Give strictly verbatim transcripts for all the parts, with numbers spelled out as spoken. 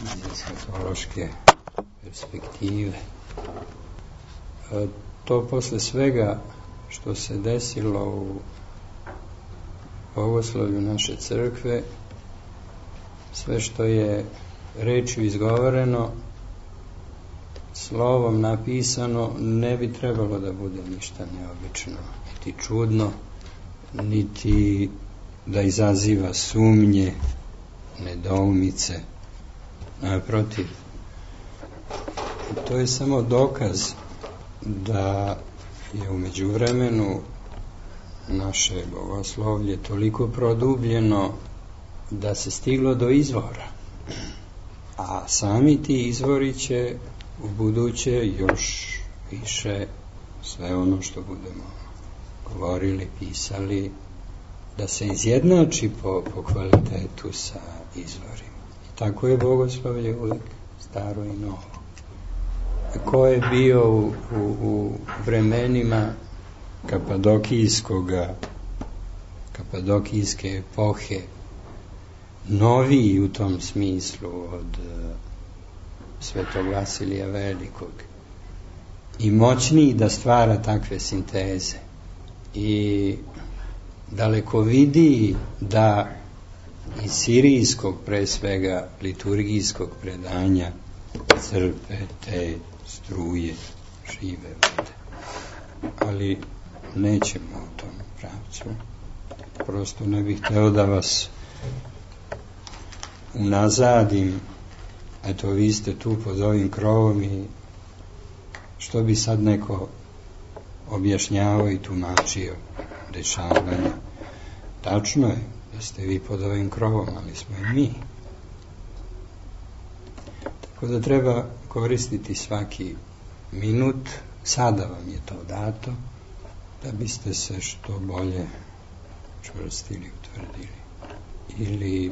iz eshatološke perspektive. To posle svega što se desilo u bogoslovlju naše crkve, sve što je rečju izgovoreno, slovom napisano, ne bi trebalo da bude ništa neobično, niti čudno, niti da izaziva sumnje, nedoumice. Naprotiv, to je samo dokaz da je u međuvremenu naše bogoslovlje toliko produbljeno da se stiglo do izvora, a sami ti izvori će u buduće još više sve ono što budemo govorili, pisali, da se izjednači po, po kvalitetu sa izvorima. I tako je bogoslovlje uvijek staro i novo. Ko je bio u, u, u vremenima kapadokijskoga, kapadokijske epohe noviji u tom smislu od Svetog Vasilija Velikog i moćniji da stvara takve sinteze i daleko vidi da iz sirijskog, pre svega liturgijskog predanja, crpe te struje žive vode. Ali nećemo u tom pravcu. Prosto ne bih hteo da vas unazadim. Eto, vi ste tu pod ovim krovom i što bi sad neko objašnjavao i tumačio dešavanja. Tačno je da ste vi pod ovim krovom, ali smo i mi. Tako da treba koristiti svaki minut, sada vam je to dato, da biste se što bolje čvrstili, utvrdili ili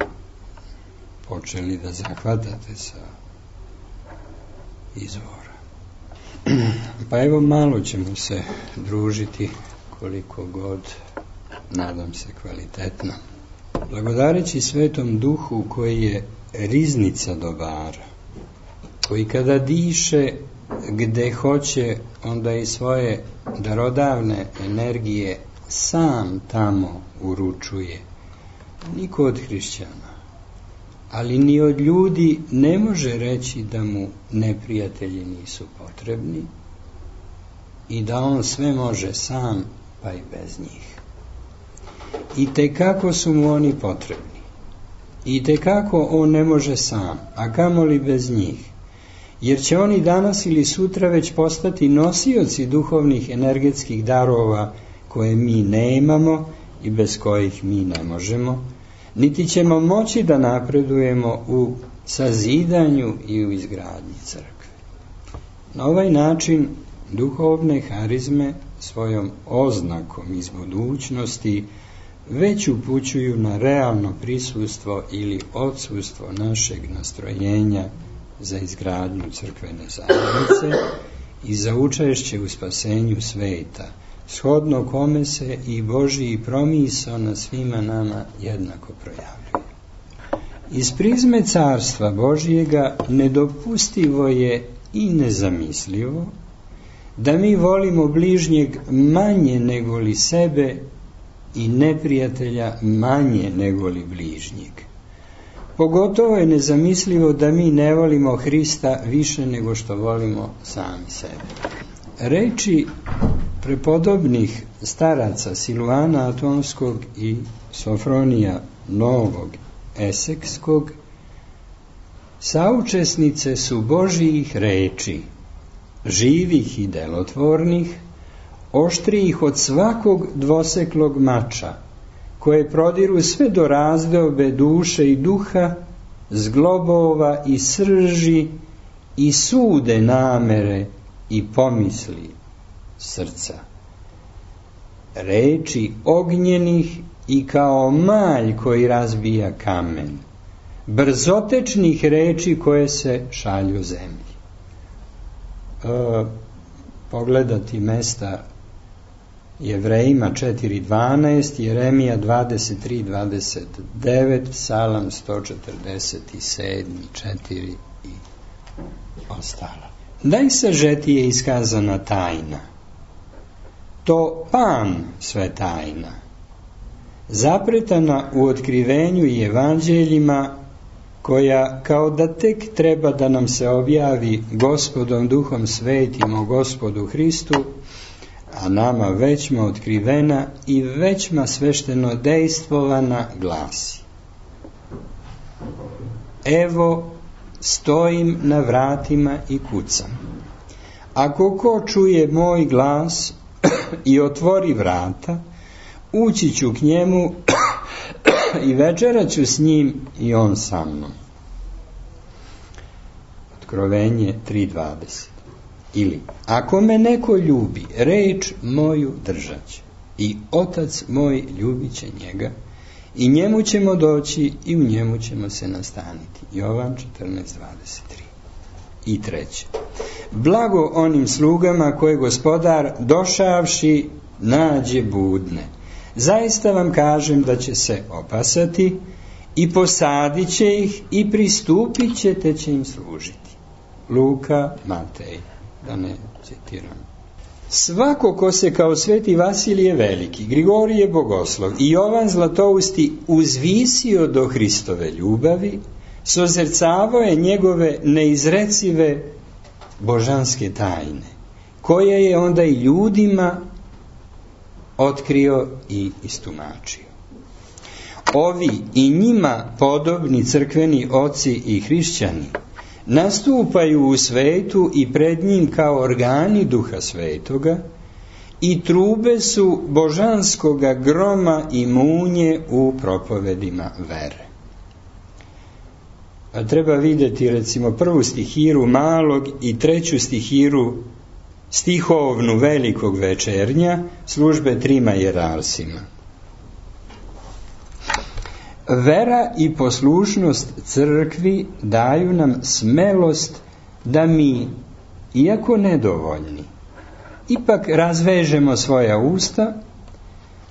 počeli da zahvatate sa izvora. Pa evo, malo ćemo se družiti, koliko god, nadam se, kvalitetno. Blagodareći Svetom Duhu koji je riznica dobara, koji kada diše gde hoće, onda i svoje darodavne energije sam tamo uručuje. Niko od hrišćana, ali ni od ljudi ne može reći da mu neprijatelji nisu potrebni i da on sve može sam, pa i bez njih. I tekako su mu oni potrebni. I tekako on ne može sam, a kamoli bez njih. Jer će oni danas ili sutra već postati nosioci duhovnih energetskih darova koje mi nemamo i bez kojih mi ne možemo, niti ćemo moći da napredujemo u sazidanju i u izgradnji crkve. Na ovaj način duhovne harizme svojom oznakom iz budućnosti već upućuju na realno prisustvo ili odsustvo našeg nastrojenja za izgradnju crkvene zajednice i za učešće u spasenju sveta, shodno kome se i Božji promisao na svima nama jednako projavljuje. Iz prizme carstva Božjega nedopustivo je i nezamislivo da mi volimo bližnjeg manje nego li sebe i neprijatelja manje nego li bližnjeg. Pogotovo je nezamislivo da mi ne volimo Hrista više nego što volimo sami sebe. Reči prepodobnih staraca Silvana Atonskog i Sofronija Novog Esekskog saučesnice su Božjih reči, živih i delotvornih, oštrijih od svakog dvoseklog mača, koje prodiru sve do razdobe duše i duha, zglobova i srži i sude namere i pomisli srca. Reči ognjenih i kao malj koji razbija kamen, brzotečnih reči koje se šalju zemlji. E, pogledati mesta Jevrejima četiri dvanaest, Jeremija dvadeset tri dvadeset devet, Psalam sto četrdeset sedam, četiri i ostalo. Najsažetije iskazana tajna, to Pan sve tajna, zapretana u otkrivenju i evanđeljima, koja kao da tek treba da nam se objavi Gospodom Duhom Svetim o Gospodu Hristu, a nama većma otkrivena i većma svešteno dejstvovana, glasi: Evo, stojim na vratima i kucam. Ako ko čuje moj glas i otvori vrata, ući ću k njemu i večerat ću s njim i on sa mnom. Otkrovenje tri dvadeset. Ili, ako me neko ljubi, reč moju držat će, i Otac moj ljubit će njega, i njemu ćemo doći i u njemu ćemo se nastaniti. Jovan četrnaest dvadeset tri. I treće. Blago onim slugama koje Gospodar, došavši, nađe budne. Zaista vam kažem da će se opasati i posadit će ih i pristupit će, te će im služiti. Luka, Matej, da ne citiram. Svako ko se kao sveti Vasilije Veliki, Grigorije Bogoslov i Jovan Zlatousti uzvisio do Hristove ljubavi, sozercavao je njegove neizrecive božanske tajne, koje je onda i ljudima otkrio i istumačio. Ovi i njima podobni crkveni oci i hrišćani nastupaju u svetu i pred njim kao organi Duha Svetoga i trube su božanskoga groma i munje u propovedima vere. A treba vidjeti recimo prvu stihiru malog i treću stihiru stihovnu velikog večernja službe trima jerarsima. Vera i poslušnost crkvi daju nam smelost da mi, iako nedovoljni, ipak razvežemo svoja usta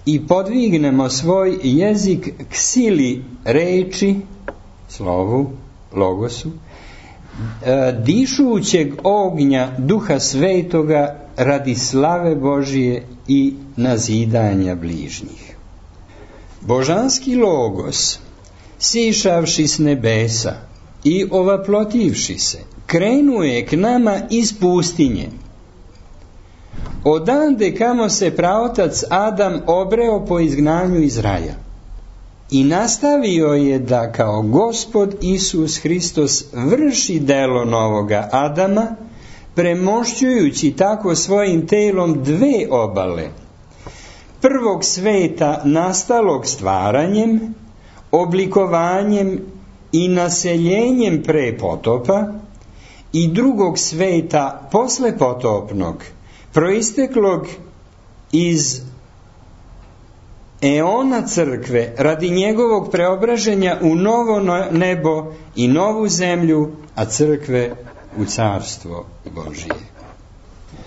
i podvignemo svoj jezik k sili reči, slovu, logosu, dišućeg ognja Duha Svetoga radi slave Božije i nazidanja bližnjih. Božanski logos, sišavši s nebesa i ovaplotivši se, krenuje k nama iz pustinje. Odande kamo se praotac Adam obreo po izgnanju iz raja i nastavio je da kao Gospod Isus Hristos vrši delo novoga Adama, premošćujući tako svojim telom dve obale, prvog sveta nastalog stvaranjem, oblikovanjem i naseljenjem pre potopa, i drugog sveta posle potopnog, proisteklog iz eona crkve radi njegovog preobraženja u novo nebo i novu zemlju, a crkve u carstvo Božije.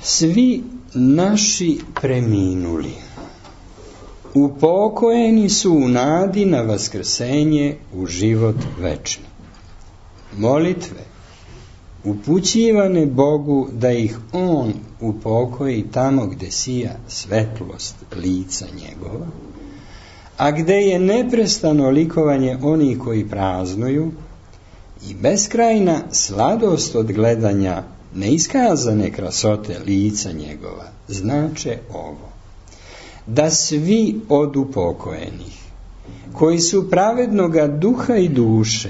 Svi naši preminuli upokojeni su u nadi na vaskrsenje u život večni. Molitve upućivane Bogu da ih On upokoji tamo gde sija svetlost lica njegova, a gde je neprestano likovanje onih koji praznuju i beskrajna sladost od gledanja neiskazane krasote lica njegova, znače ovo: da svi od upokojenih, koji su pravednoga duha i duše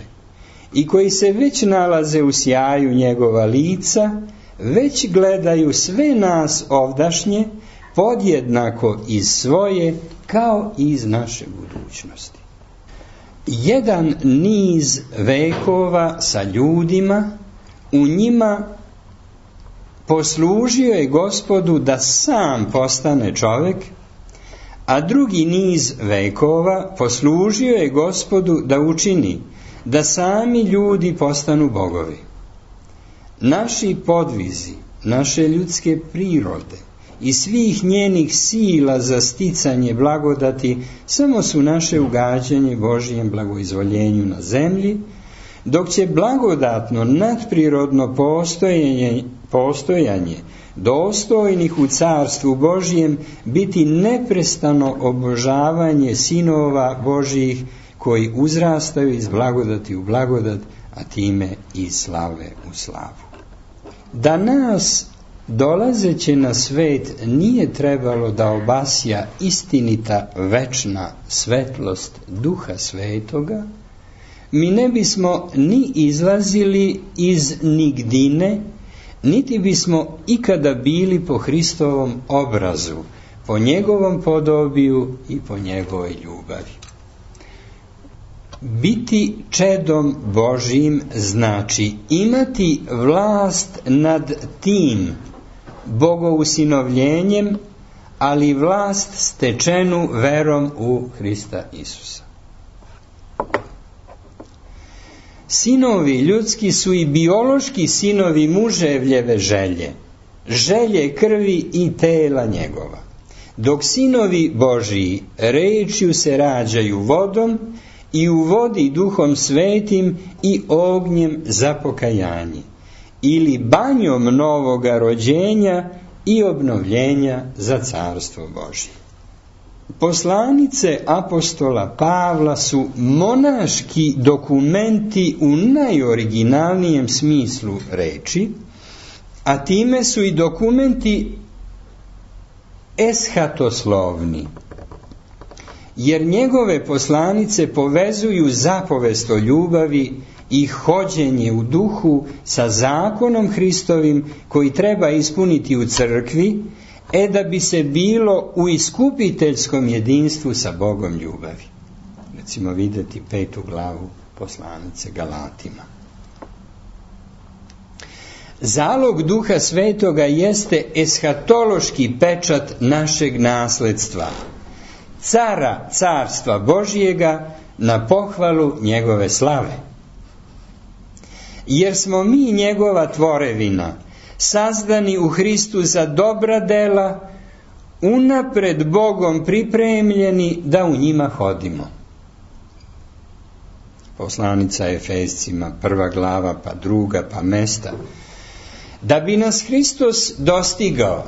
i koji se već nalaze u sjaju njegova lica, već gledaju sve nas ovdašnje podjednako iz svoje kao i iz naše budućnosti. Jedan niz vekova sa ljudima, u njima poslužio je Gospodu da sam postane čovjek, a drugi niz vekova poslužio je Gospodu da učini da sami ljudi postanu bogovi. Naši podvizi, naše ljudske prirode i svih njenih sila za sticanje blagodati samo su naše ugađanje Božijem blagoizvoljenju na zemlji, dok će blagodatno nadprirodno postojanje, postojanje dostojnih u carstvu Božijem biti neprestano obožavanje sinova Božjih koji uzrastaju iz blagodati u blagodat, a time iz slave u slavu. Da nas dolazeće na svet nije trebalo da obasja istinita večna svetlost Duha Svetoga, mi ne bismo ni izlazili iz nigdine, niti bismo ikada bili po Hristovom obrazu, po njegovom podobiju i po njegovoj ljubavi. Biti čedom Božjim znači imati vlast nad tim bogousinovljenjem, ali vlast stečenu verom u Hrista Isusa. Sinovi ljudski su i biološki sinovi muževljeve želje, želje krvi i tela njegova, dok sinovi Božiji rečju se rađaju vodom i u vodi Duhom Svetim i ognjem za pokajanje, ili banjom novoga rođenja i obnovljenja za carstvo Božje. Poslanice apostola Pavla su monaški dokumenti u najoriginalnijem smislu reči, a time su i dokumenti eshatoslovni, jer njegove poslanice povezuju zapovest o ljubavi i hođenje u duhu sa zakonom Hristovim koji treba ispuniti u crkvi, e da bi se bilo u iskupiteljskom jedinstvu sa Bogom ljubavi. Recimo vidjeti petu glavu poslanice Galatima. Zalog Duha Svetoga jeste eshatološki pečat našeg nasledstva, cara carstva Božjega na pohvalu njegove slave. Jer smo mi njegova tvorevina, sazdani u Hristu za dobra dela, unapred Bogom pripremljeni da u njima hodimo. Poslanica Efescima, prva glava, pa druga, pa mesta. Da bi nas Hristos dostigao,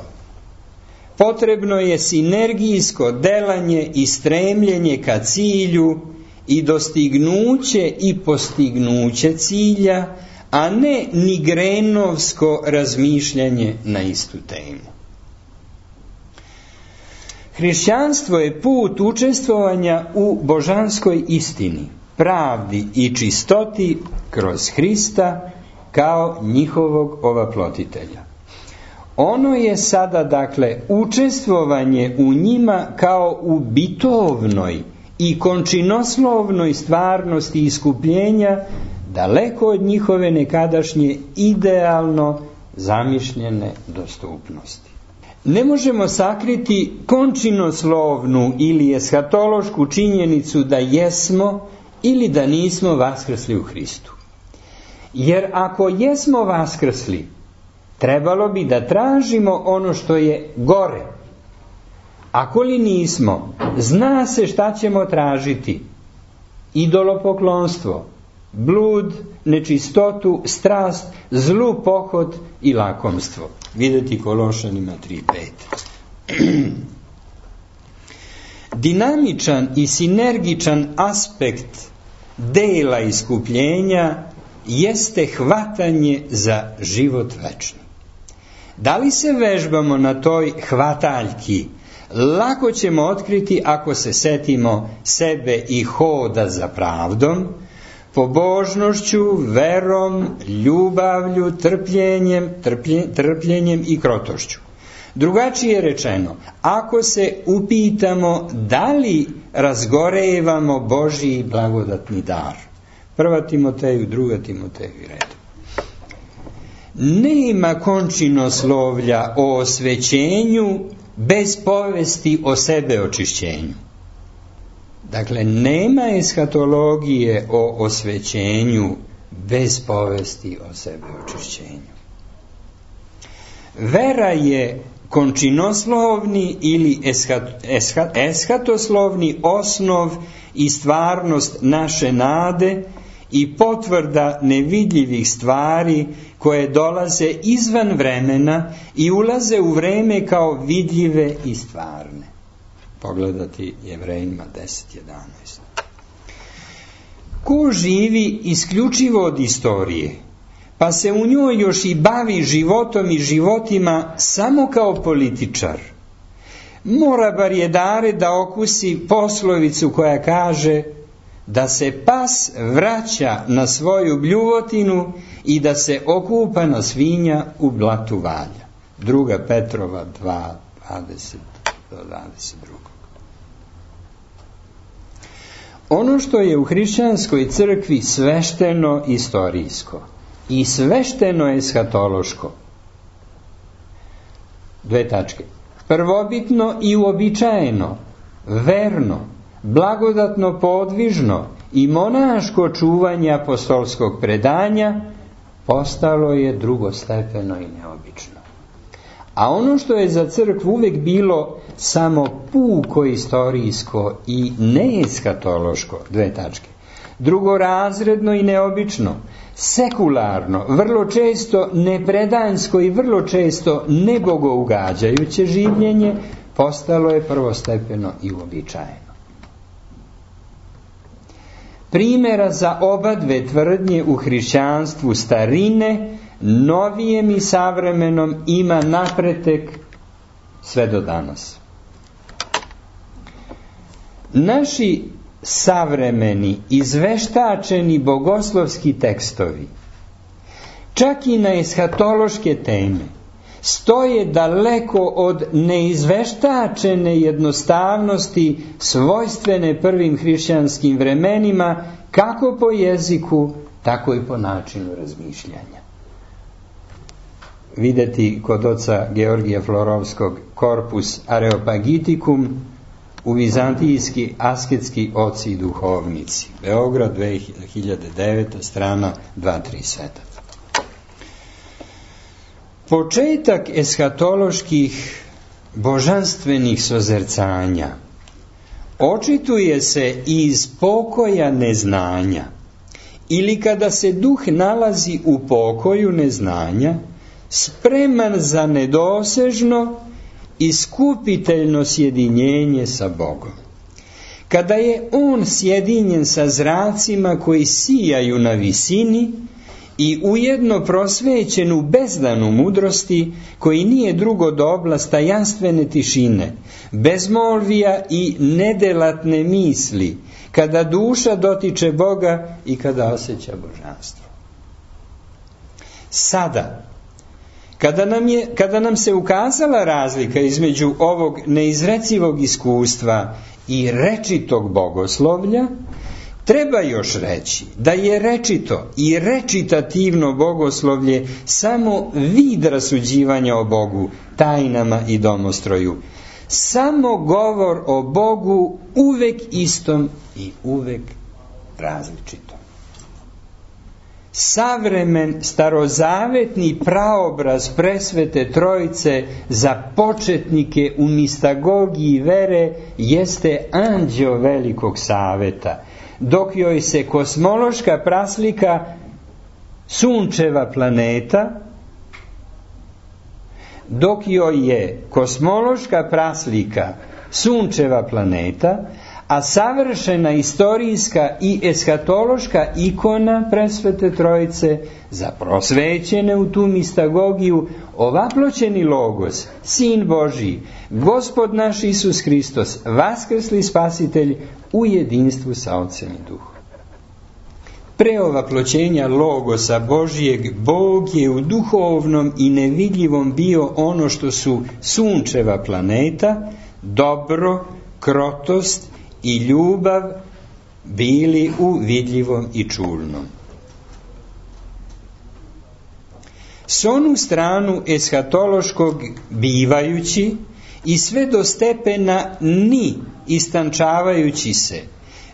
potrebno je sinergijsko delanje i stremljenje ka cilju i dostignuće i postignuće cilja, a ne nigrenovsko razmišljanje na istu temu. Hrišćanstvo je put učestvovanja u božanskoj istini, pravdi i čistoti kroz Hrista kao njihovog ovaplotitelja. Ono je sada, dakle, učestvovanje u njima kao u bitovnoj i končinoslovnoj stvarnosti iskupljenja, daleko od njihove nekadašnje idealno zamišljene dostupnosti. Ne možemo sakriti končinoslovnu ili eshatološku činjenicu da jesmo ili da nismo vaskrsli u Hristu. Jer ako jesmo vaskrsli, trebalo bi da tražimo ono što je gore. Ako li nismo, zna se šta ćemo tražiti. Idolopoklonstvo, blud, nečistotu, strast, zlu pohod i lakomstvo. Vidjeti Kološanima tri pet. Dinamičan i sinergičan aspekt dela iskupljenja jeste hvatanje za život večni. Da li se vežbamo na toj hvataljki, lako ćemo otkriti ako se setimo sebe i hoda za pravdom, pobožnošću, verom, ljubavlju, trpljenjem, trplje, trpljenjem i krotošću. Drugačije rečeno, ako se upitamo da li razgorevamo Božji blagodatni dar. Prva Timoteju, druga Timoteju i redom. Nema končinoslovlja o osvećenju bez povesti o sebe očišćenju. Dakle, nema eshatologije o osvećenju bez povesti o sebe očišćenju. Vera je končinoslovni ili eshat, eshat, eshatoslovni osnov i stvarnost naše nade i potvrda nevidljivih stvari koje dolaze izvan vremena i ulaze u vreme kao vidljive i stvarne. Pogledati Jevrejima deset jedanaest. Ko živi isključivo od istorije, pa se u njoj još i bavi životom i životima samo kao političar, mora bar jedare da okusi poslovicu koja kaže da se pas vraća na svoju bljuvotinu i da se okupana svinja u blatu valja. Druga Petrova dva, dvadeset do dvadeset dva. Ono što je u hrišćanskoj crkvi svešteno istorijsko i svešteno eshatološko, dve tačke, prvobitno i uobičajeno, verno, blagodatno podvižno i monaško čuvanje apostolskog predanja postalo je drugostepeno i neobično. A ono što je za crkvu uvek bilo samo puko istorijsko i neeskatološko, dve tačke, drugorazredno i neobično, sekularno, vrlo često nepredanjsko i vrlo često nebogougađajuće življenje, postalo je prvostepeno i uobičajeno. Primjera za oba dve tvrdnje u hrišćanstvu starine, novijem i savremenom, ima napretek sve do danas. Naši savremeni, izveštačeni bogoslovski tekstovi, čak i na eshatološke teme, stoje daleko od neizveštačene jednostavnosti svojstvene prvim hrišćanskim vremenima, kako po jeziku, tako i po načinu razmišljanja. Videti kod oca Georgija Florovskog Corpus Areopagitikum u Vizantijski asketski oci i duhovnici. Beograd, dve hiljade deveta, strana dvsto trideset sedam. Početak eshatoloških božanstvenih sozercanja očituje se iz pokoja neznanja, ili kada se duh nalazi u pokoju neznanja, spreman za nedosežno i skupiteljno sjedinjenje sa Bogom. Kada je on sjedinjen sa zracima koji sijaju na visini i ujedno prosvećen u bezdanu mudrosti, koji nije drugo do oblast tajanstvene tišine, bezmolvija i nedelatne misli, kada duša dotiče Boga i kada osjeća božanstvo. Sada, Kada nam, je, kada nam se ukazala razlika između ovog neizrecivog iskustva i rečitog bogoslovlja, treba još reći da je rečito i recitativno bogoslovlje samo vid rasuđivanja o Bogu, tajnama i domostroju. Samo govor o Bogu uvek istom i uvek različitom. Savremen starozavetni praobraz presvete trojice za početnike u mistagogiji vere jeste anđeo velikog saveta, dok joj se kosmološka praslika sunčeva planeta, dok joj je kosmološka praslika sunčeva planeta, a savršena istorijska i eshatološka ikona presvete trojice za prosvećene u tu mistagogiju ovaploćeni Logos, Sin Božiji, Gospod naš Isus Hristos, vaskrsli Spasitelj u jedinstvu sa Otcem i Duhom. Pre ovaploćenja Logosa Božijeg, Bog je u duhovnom i nevidljivom bio ono što su sunčeva planeta, dobro, krotost i ljubav bili u vidljivom i čulnom. S onu stranu eshatološkog bivajući i sve do stepena ni istančavajući se,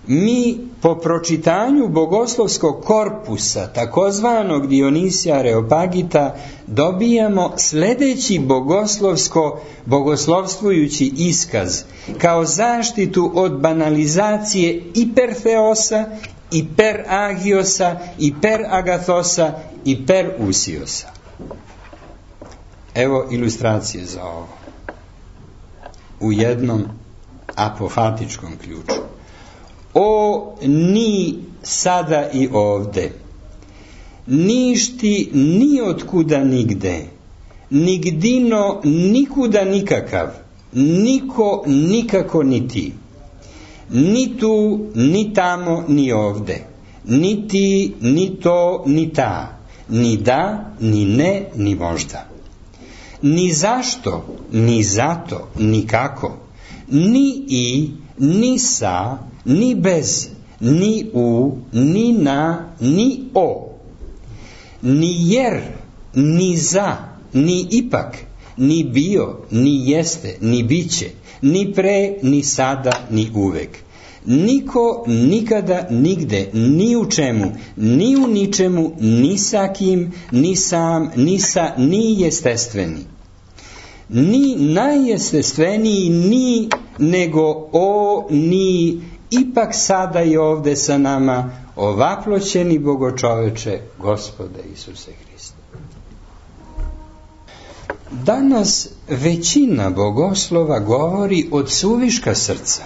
mi po pročitanju bogoslovskog korpusa, takozvanog Dionisija Areopagita, dobijamo sljedeći bogoslovsko, bogoslovstvujući iskaz, kao zaštitu od banalizacije ipertheosa, iperagiosa, iperagatosa i perusiosa. Evo ilustracije za ovo. U jednom apofatičkom ključu. O ni sada i ovde, ništi ni otkuda nigde, nigdino nikuda nikakav, niko nikako ni ti, ni tu, ni tamo, ni ovde, ni ti, ni to, ni ta, ni da, ni ne, ni možda. Ni zašto, ni zato, ni kako, ni i, ni sa, ni bez, ni u, ni na, ni o. Ni jer, ni za, ni ipak, ni bio, ni jeste, ni biće, ni pre, ni sada, ni uvek. Niko, nikada, nigde, ni u čemu, ni u ničemu, ni sa kim, ni sam, ni sa, ni jestestveni. Ni najjestestveniji, ni, nego o, ni, ipak sada i ovde sa nama, ovaploćeni Bogočoveče, Gospode Isuse Hriste. Danas većina bogoslova govori od suviška srca,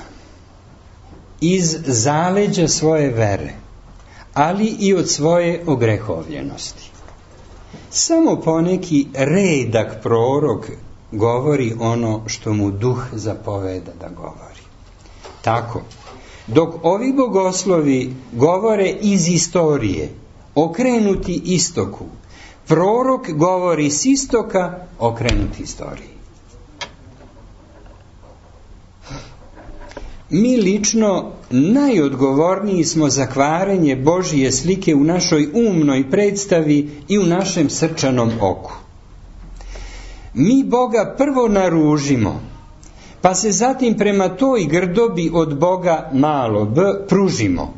iz zaleđa svoje vere, ali i od svoje ogrehovljenosti. Samo poneki redak prorok govori ono što mu duh zapoveda da govori. Tako, dok ovi bogoslovi govore iz istorije, okrenuti istoku, prorok govori s istoka, okrenuti istoriji. Mi lično najodgovorniji smo za kvarenje Božije slike u našoj umnoj predstavi i u našem srčanom oku. Mi Boga prvo naružimo, pa se zatim prema toj grdobi od Boga malo b pružimo.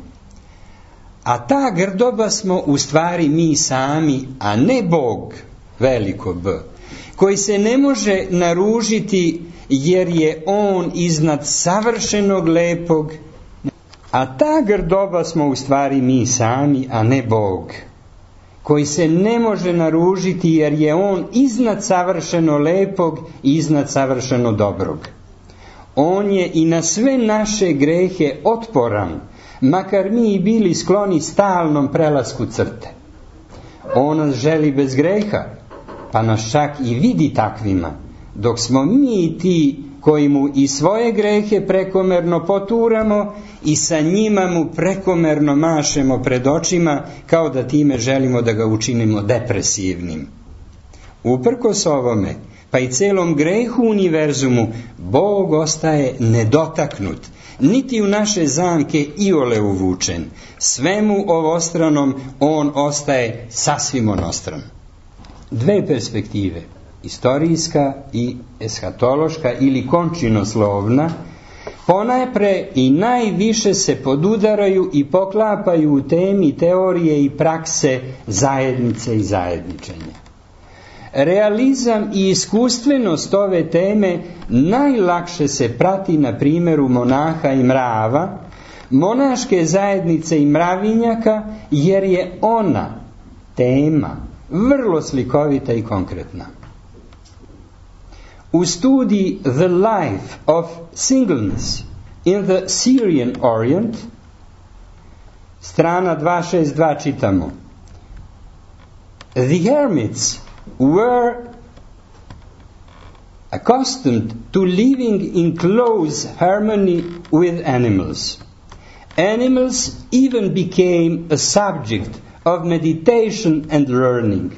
A ta grdoba smo u stvari mi sami, a ne Bog, veliko B, koji se ne može naružiti jer je on iznad savršenog lepog, a ta grdoba smo u stvari mi sami, a ne Bog, koji se ne može naružiti jer je on iznad savršeno lepog i iznad savršeno dobrog. On je i na sve naše grehe otporan, makar mi i bili skloni stalnom prelasku crte. On nas želi bez greha, pa nas čak i vidi takvima, dok smo mi ti koji mu i svoje grehe prekomerno poturamo i sa njima mu prekomerno mašemo pred očima, kao da time želimo da ga učinimo depresivnim. Uprkos ovome, pa i celom grehu univerzumu, Bog ostaje nedotaknut, niti u naše zamke iole uvučen. Svemu ovostranom on ostaje sasvim onostran. Dve perspektive, istorijska i eshatološka ili končinoslovna, ponajpre i najviše se podudaraju i poklapaju u temi teorije i prakse zajednice i zajedničenja. Realizam i iskustvenost ove teme najlakše se prati na primjeru monaha i mrava, monaške zajednice i mravinjaka, jer je ona, tema, vrlo slikovita i konkretna. U studiji The Life of Singleness in the Syrian Orient, strana dvesta šezdeset dva, čitamo: The hermits were accustomed to living in close harmony with animals. Animals even became a subject of meditation and learning.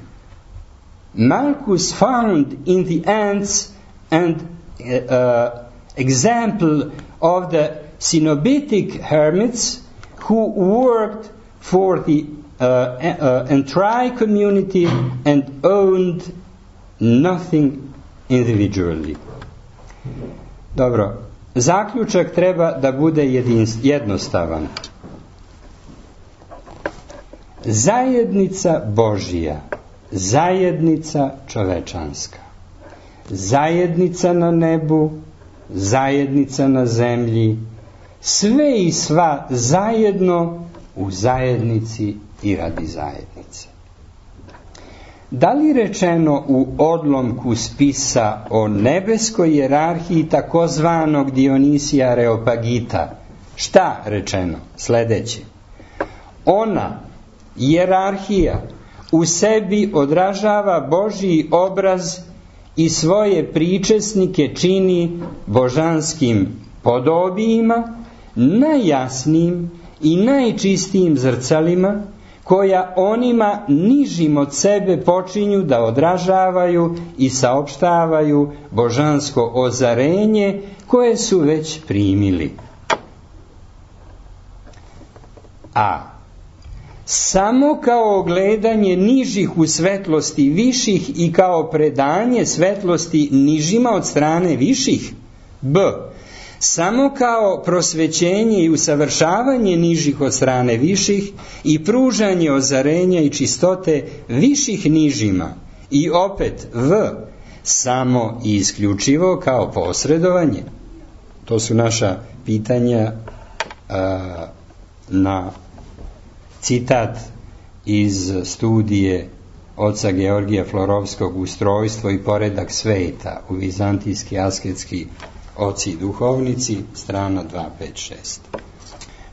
Malchus found in the ants an uh, example of the Cenobitic hermits who worked for the uh, uh, entire community and owned nothing individually. Dobro, zaključak treba da bude jednostavan. Zajednica Božija, zajednica čovečanska, zajednica na nebu, zajednica na zemlji, sve i sva zajedno u zajednici i radi zajednice. Da li rečeno u odlomku spisa o nebeskoj hijerarhiji takozvanog Dionisija Areopagita? Šta rečeno? Sljedeće. Ona, hijerarhija, u sebi odražava Božji obraz i svoje pričesnike čini božanskim podobijima, najjasnijim i najčistijim zrcalima, koja onima nižim od sebe počinju da odražavaju i saopštavaju božansko ozarenje koje su već primili. A samo kao ogledanje nižih u svetlosti viših i kao predanje svetlosti nižima od strane viših. B. Samo kao prosvećenje i usavršavanje nižih od strane viših i pružanje ozarenja i čistote viših nižima. I opet V. Samo i isključivo kao posredovanje. To su naša pitanja a, na citat iz studije oca Georgija Florovskog Ustrojstvo i poredak sveta u vizantijski asketski oci i duhovnici, strana dvesta pedeset šest.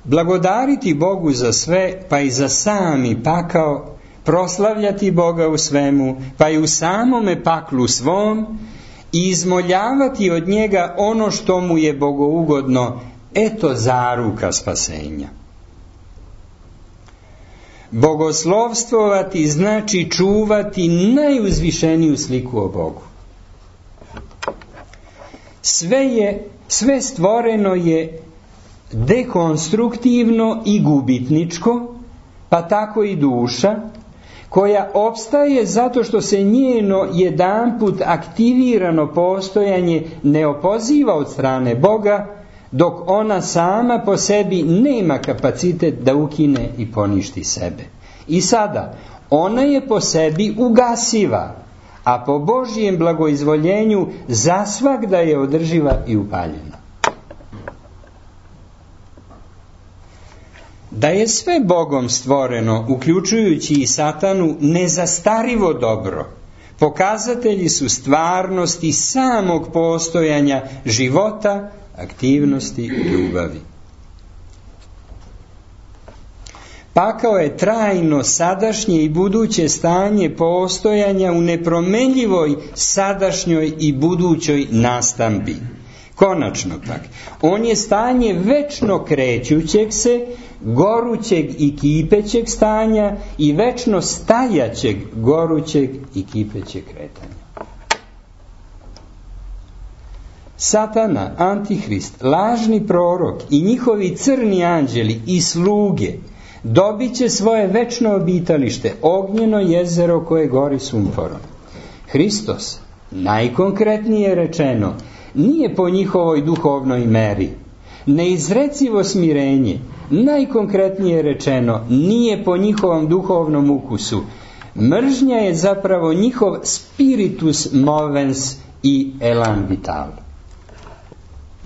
Blagodariti Bogu za sve, pa i za sami pakao, proslavljati Boga u svemu, pa i u samome paklu svom, i izmoljavati od njega ono što mu je bogougodno, eto zaruka spasenja. Bogoslovstvovati znači čuvati najuzvišeniju sliku o Bogu. Sve je, sve stvoreno je dekonstruktivno i gubitničko, pa tako i duša, koja opstaje zato što se njeno jedanput aktivirano postojanje ne opoziva od strane Boga, dok ona sama po sebi nema kapacitet da ukine i poništi sebe. I sada, ona je po sebi ugasiva, a po Božjem blagoizvoljenju zasvagda je održiva i upaljena. Da je sve Bogom stvoreno, uključujući i satanu, nezastarivo dobro, pokazatelji su stvarnosti samog postojanja života, aktivnosti i ljubavi. Pakao je trajno sadašnje i buduće stanje postojanja u nepromenljivoj sadašnjoj i budućoj nastambi. Konačno pak, on je stanje večno krećućeg se, gorućeg i kipećeg stanja i večno stajaćeg, gorućeg i kipećeg kretanja. Satana, Antihrist, lažni prorok i njihovi crni anđeli i sluge dobit će svoje večno obitalište, ognjeno jezero koje gori sumporom. Hristos, najkonkretnije rečeno, nije po njihovoj duhovnoj meri. Neizrecivo smirenje, najkonkretnije rečeno, nije po njihovom duhovnom ukusu. Mržnja je zapravo njihov spiritus movens i elan vital.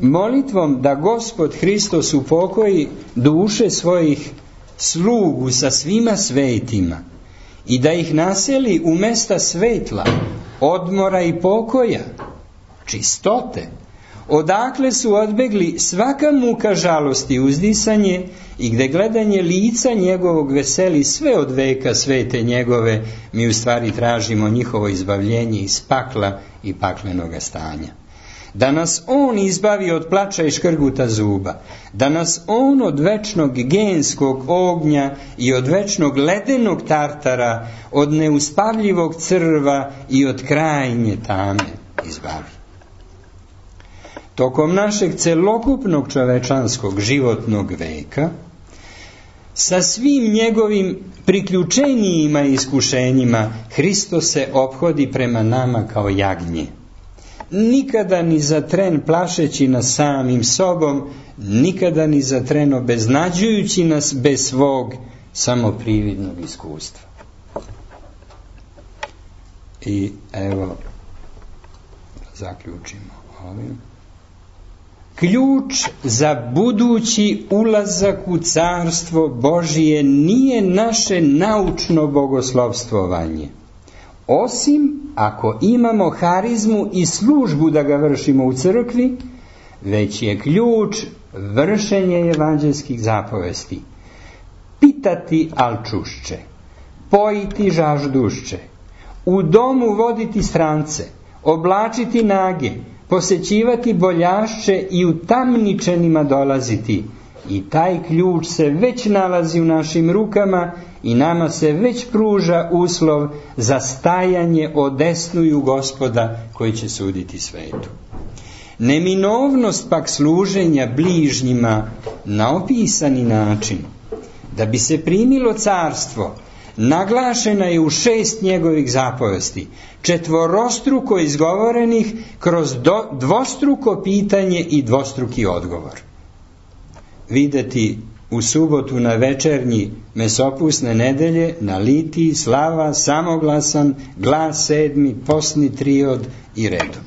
Molitvom da Gospod Hristos upokoji duše svojih slugu sa svima svetima i da ih naseli u mesta svetla, odmora i pokoja, čistote, odakle su odbegli svaka muka žalosti i uzdisanje i gde gledanje lica njegovog veseli sve od veka svete njegove, mi u stvari tražimo njihovo izbavljenje iz pakla i paklenoga stanja. Da nas on izbavi od plača i škrguta zuba, da nas on od večnog genskog ognja i od večnog ledenog tartara, od neuspavljivog crva i od krajnje tame izbavi. Tokom našeg celokupnog čovečanskog životnog veka, sa svim njegovim priključenijima i iskušenjima, Hristos se ophodi prema nama kao jagnje. nikada ni za tren plašeći nas samim sobom, nikada ni za tren obeznađujući nas bez svog samoprividnog iskustva. I evo, zaključimo ovim. Ključ za budući ulazak u carstvo Božije nije naše naučno bogoslovstvovanje, osim ako imamo harizmu i službu da ga vršimo u crkvi, već je ključ vršenje evanđelskih zapovesti. Pitati al čušće, pojiti žaždušće, u domu voditi strance, oblačiti nage, posećivati boljašće i u tamničenima dolaziti. I taj ključ se već nalazi u našim rukama i nama se već pruža uslov za stajanje odesnuju Gospoda koji će suditi svetu. Neminovnost pak služenja bližnjima na opisani način, da bi se primilo carstvo, naglašena je u šest njegovih zapovesti, četvorostruko izgovorenih kroz do, dvostruko pitanje i dvostruki odgovor. Videti u subotu na večernji mesopusne nedelje na litiji, slava, samoglasan, glas sedmi, posni triod i redom.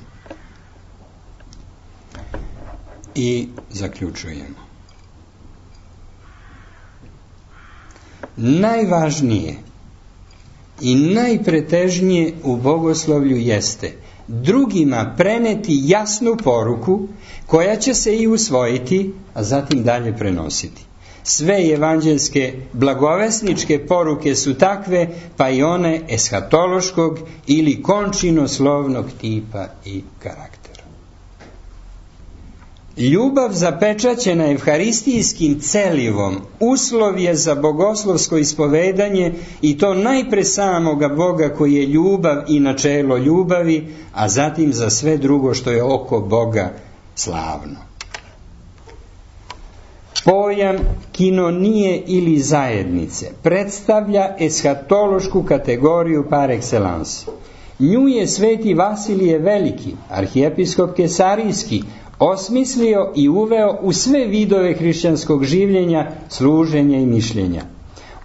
I zaključujemo. Najvažnije i najpretežnije u bogoslovlju jeste drugima preneti jasnu poruku koja će se i usvojiti, a zatim dalje prenositi. Sve evanđelske blagovesničke poruke su takve, pa i one eshatološkog ili končinoslovnog tipa i karaktera. Ljubav zapečaćena evharistijskim celivom uslov je za bogoslovsko ispovedanje, i to najpre samoga Boga koji je ljubav i načelo ljubavi, a zatim za sve drugo što je oko Boga slavno. Pojam kinonije ili zajednice predstavlja eshatološku kategoriju par excellence. Nju je sveti Vasilije Veliki, arhijepiskop Kesarijski, osmislio i uveo u sve vidove hrišćanskog življenja, služenja i mišljenja.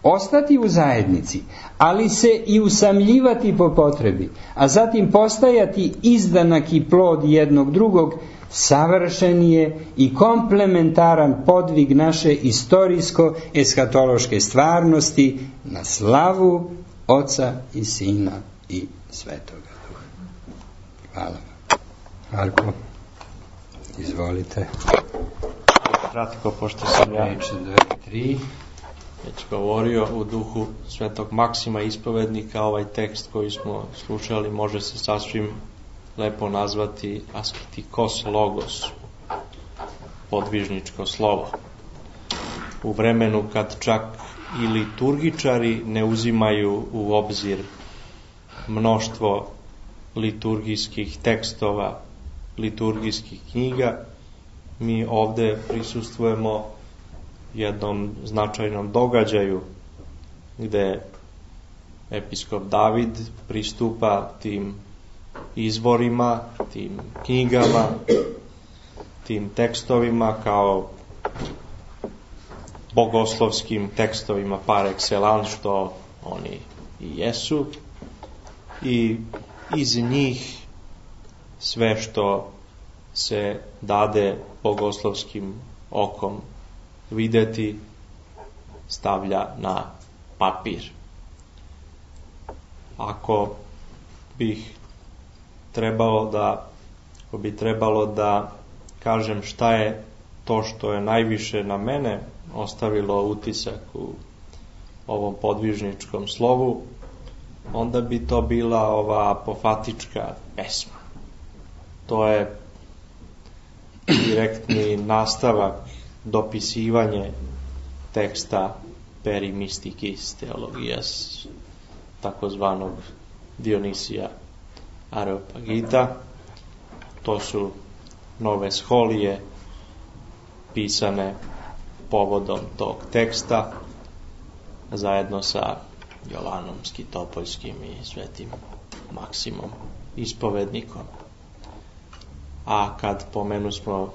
Ostati u zajednici, ali se i usamljivati po potrebi, a zatim postajati izdanak i plod jednog drugog, savršen je i komplementaran podvig naše istorijsko-eshatološke stvarnosti na slavu Oca i Sina i Svetoga Duha. Hvala. Marko, izvolite. Kratko, pošto sam ja tri. već govorio u duhu Svetog Maksima ispovednika, ovaj tekst koji smo slušali može se sasvim lepo nazvati asketikos logos, podvižničko slovo. U vremenu kad čak i liturgičari ne uzimaju u obzir mnoštvo liturgijskih tekstova, liturgijskih knjiga, mi ovde prisustvujemo jednom značajnom događaju gde episkop David pristupa tim izvorima, tim knjigama, tim tekstovima kao bogoslovskim tekstovima par excellence, što oni i jesu, i iz njih sve što se dade bogoslovskim okom videti stavlja na papir. Ako bih trebalo da ako bi trebalo da kažem šta je to što je najviše na mene ostavilo utisak u ovom podvižničkom slovu, onda bi to bila ova apofatička pesma. To je direktni nastavak, dopisivanje teksta Perimistikis Theologijas, takozvanog Dionisija Areopagita. To su nove scholije pisane povodom tog teksta zajedno sa Jovanom Skitopoljskim i svetim Maksimom ispovednikom. A kad pomenu smo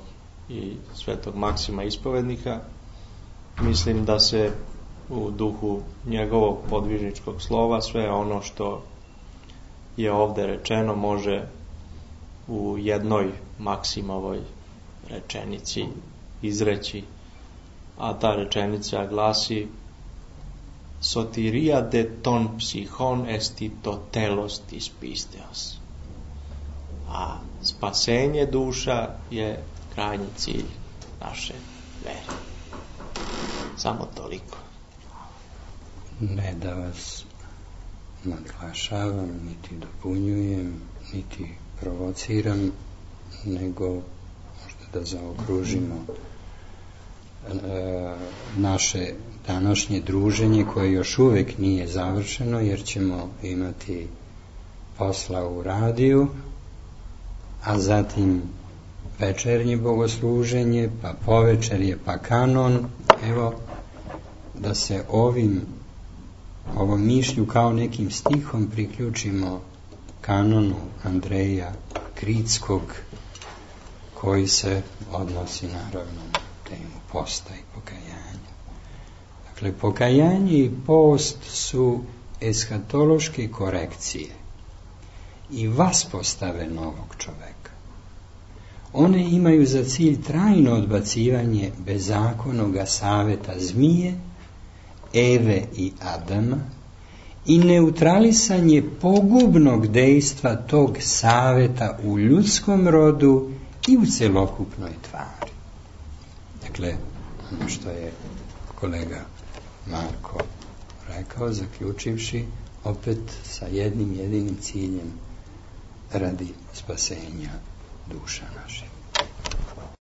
i svetog Maksima ispovednika, mislim da se u duhu njegovog podvižničkog slova sve ono što je ovde rečeno može u jednoj Maksimovoj rečenici izreći, a ta rečenica glasi: sotiria de ton psichon esti to telos tis pisteos. A spasenje duša je krajnji cilj naše vere. Samo toliko. Ne da vas nadglašavam, niti dopunjujem, niti provociram, nego možda da zaokružimo e, naše današnje druženje, koje još uvek nije završeno, jer ćemo imati posla u radiju, a zatim večernje bogosluženje, pa povečerje, pa kanon. Evo, da se ovim ovom mišlju kao nekim stihom priključimo kanonu Andreja Kritskog, koji se odnosi naravno na temu posta i pokajanja. Dakle, pokajanje i post su eshatološke korekcije i vaspostave novog čoveka. One imaju za cilj trajno odbacivanje bezakonoga saveta zmije, Eve i Adama i neutralisanje pogubnog dejstva tog saveta u ljudskom rodu i u celokupnoj tvari. Dakle, ono što je kolega Marko rekao, zaključivši opet sa jednim jedinim ciljem radi spasenja duša naših.